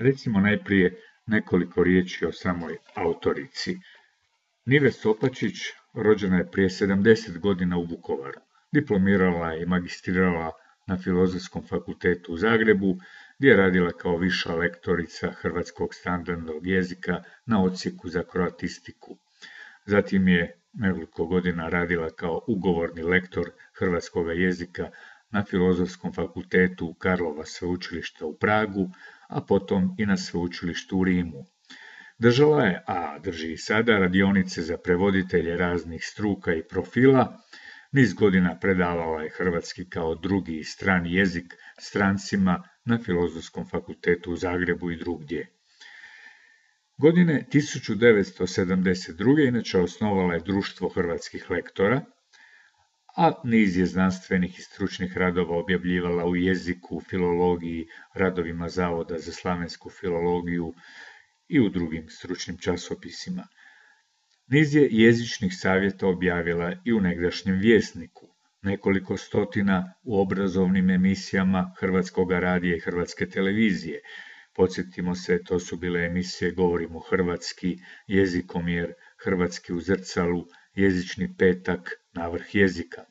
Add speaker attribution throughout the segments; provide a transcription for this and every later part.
Speaker 1: Recimo najprije nekoliko riječi o samoj autorici. Nive Sopačić rođena je prije 70 godina u Vukovaru. Diplomirala je i magistrirala na Filozofskom fakultetu u Zagrebu, gdje je radila kao viša lektorica hrvatskog standardnog jezika na odsjeku za kroatistiku. Zatim je nekoliko godina radila kao ugovorni lektor hrvatskog jezika na Filozofskom fakultetu Karlova sveučilišta u Pragu, a potom i na sveučilištu u Rimu. Držala je, a drži i sada, radionice za prevoditelje raznih struka i profila. Niz godina predavala je hrvatski kao drugi i strani jezik strancima na Filozofskom fakultetu u Zagrebu i drugdje. Godine 1972. inače osnovala je Društvo hrvatskih lektora, a niz je znanstvenih i stručnih radova objavljivala u jeziku, filologiji, radovima Zavoda za slavensku filologiju i u drugim stručnim časopisima. Niz je jezičnih savjeta objavila i u negdašnjem Vjesniku, nekoliko stotina u obrazovnim emisijama Hrvatskog radija i Hrvatske televizije. Podsjetimo se, to su bile emisije Govorimo hrvatski, Jezikomjer, Hrvatski u zrcalu, Jezični petak, Navrh jezika.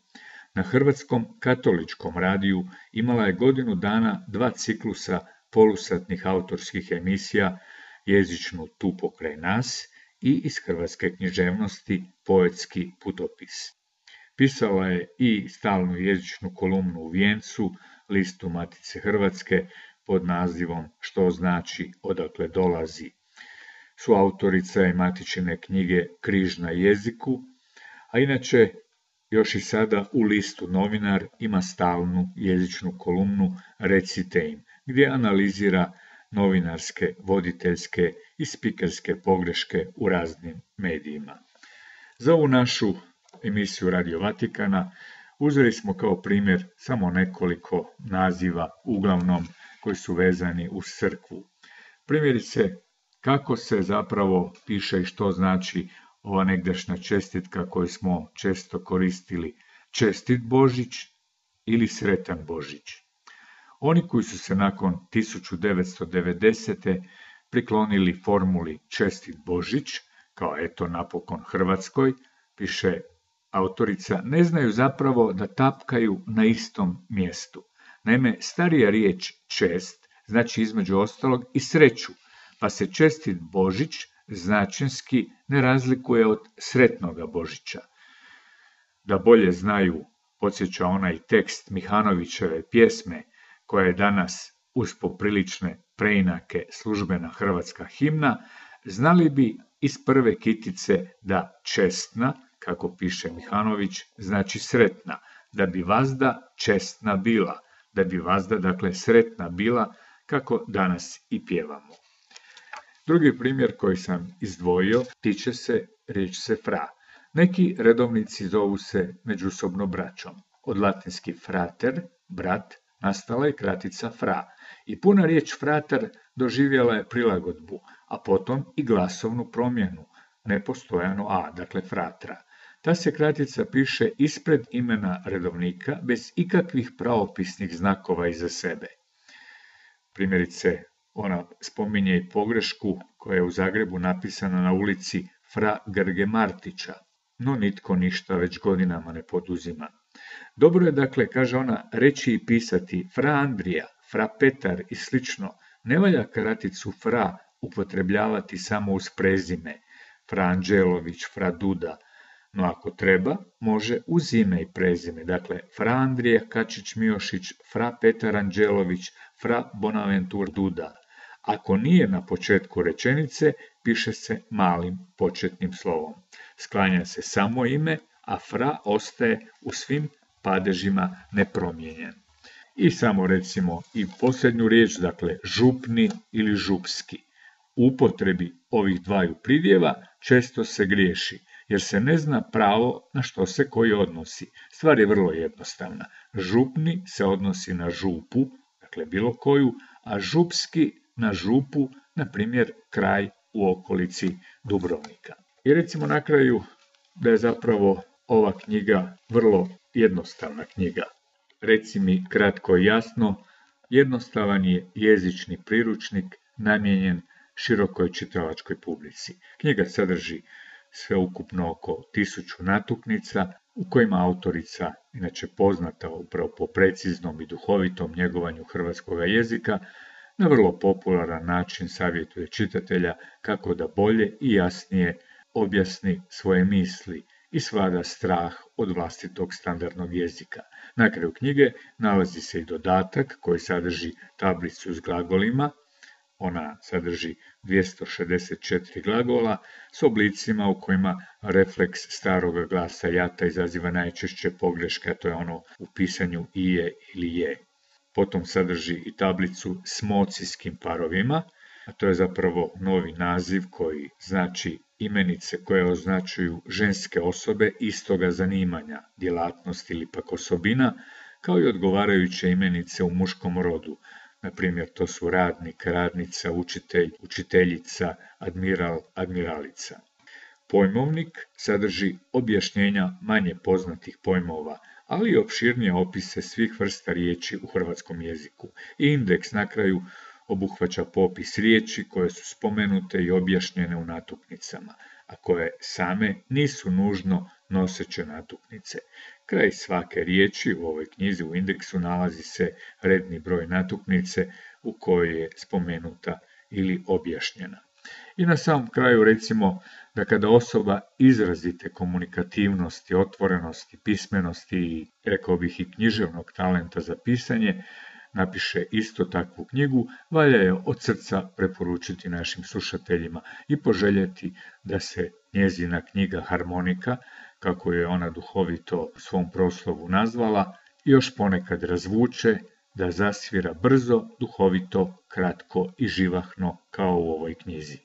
Speaker 1: Na Hrvatskom katoličkom radiju imala je godinu dana 2 ciklusa polusatnih autorskih emisija, Jezičnu tu pokraj nas i iz hrvatske književnosti Poetski putopis. Pisala je i stalnu jezičnu kolumnu u Vijencu, listu Matice Hrvatske, pod nazivom Što znači, odakle dolazi. Suautorica je matičine knjige Križ na jeziku, a inače još i sada u listu Novinar ima stalnu jezičnu kolumnu Recite im, gdje analizira novinarske, voditeljske i spikerske pogreške u raznim medijima. Za ovu našu emisiju Radio Vatikana uzeli smo kao primjer samo nekoliko naziva, uglavnom koji su vezani uz crkvu. Primjerice, kako se zapravo piše i što znači ova negdašnja čestitka koju smo često koristili, čestit Božić ili sretan Božić. Oni koji su se nakon 1990. priklonili formuli čestit Božić, kao eto napokon Hrvatskoj, piše autorica, ne znaju zapravo da tapkaju na istom mjestu. Naime, starija riječ čest znači između ostalog i sreću, pa se čestit Božić značenski ne razlikuje od sretnoga Božića. Da bolje znaju, podsjeća onaj tekst Mihanovićeve pjesme, koja je danas uz poprilične preinake službena hrvatska himna, znali bi iz prve kitice da čestna, kako piše Mihanović, znači sretna, da bi vazda čestna bila, da bi vazda, dakle, sretna bila, kako danas i pjevamo. Drugi primjer koji sam izdvojio tiče se riječi fra. Neki redovnici zovu se međusobno braćom. Od latinski frater, brat, nastala je kratica fra. I puna riječ frater doživjela je prilagodbu, a potom i glasovnu promjenu, nepostojano a, dakle fratra. Ta se kratica piše ispred imena redovnika, bez ikakvih pravopisnih znakova iza sebe. Primjerice, ona spominje i pogrešku koja je u Zagrebu napisana na ulici Fra Grge Martića, no nitko ništa već godinama ne poduzima. Dobro je, dakle, kaže ona, reći i pisati Fra Andrija, Fra Petar i slično. Ne valja kraticu Fra upotrebljavati samo uz prezime, Fra Anđelović, Fra Duda, no ako treba, može uz ime i prezime, dakle, Fra Andrija Kačić-Miošić, Fra Petar Anđelović, Fra Bonaventur Duda. Ako nije na početku rečenice, piše se malim početnim slovom. Sklanja se samo ime, a fra ostaje u svim padežima nepromijenjen. I samo recimo i posljednju riječ, dakle župni ili župski. U upotrebi ovih dvaju pridjeva često se griješi, jer se ne zna pravo na što se koji odnosi. Stvar je vrlo jednostavna. Župni se odnosi na župu, dakle bilo koju, a župski na župu, na primjer kraj u okolici Dubrovnika. I recimo na kraju da je zapravo ova knjiga vrlo jednostavna knjiga. Reci mi kratko i jasno, jednostavan je jezični priručnik namijenjen širokoj čitalačkoj publici. Knjiga sadrži sveukupno oko 1000 natuknica u kojima autorica, inače poznata upravo po preciznom i duhovitom njegovanju hrvatskog jezika, na vrlo popularan način savjetuje čitatelja kako da bolje i jasnije objasni svoje misli i svlada strah od vlastitog standardnog jezika. Na kraju knjige nalazi se i dodatak koji sadrži tablicu s glagolima. Ona sadrži 264 glagola s oblicima u kojima refleks starog glasa jata izaziva najčešće pogreške, a to je ono u pisanju ije ili je. Potom sadrži i tablicu s mocijskim parovima, a to je zapravo novi naziv koji znači imenice koje označuju ženske osobe istoga zanimanja, djelatnost ili pak osobina, kao i odgovarajuće imenice u muškom rodu. Na primjer, to su radnik, radnica, učitelj, učiteljica, admiral, admiralica. Pojmovnik sadrži objašnjenja manje poznatih pojmova, ali i opširnije opise svih vrsta riječi u hrvatskom jeziku. I indeks na kraju obuhvaća popis riječi koje su spomenute i objašnjene u natuknicama, a koje same nisu nužno noseće natuknice. Kraj svake riječi u ovoj knjizi u indeksu nalazi se redni broj natuknice u kojoj je spomenuta ili objašnjena. I na samom kraju recimo da kada osoba izrazite komunikativnosti, otvorenosti, pismenosti i, rekao bih, i književnog talenta za pisanje, napiše isto takvu knjigu, valja je od srca preporučiti našim slušateljima i poželjeti da se njezina knjiga Harmonika, kako je ona duhovito u svom proslovu nazvala, još ponekad razvuče, da zasvira brzo, duhovito, kratko i živahno kao u ovoj knjizi.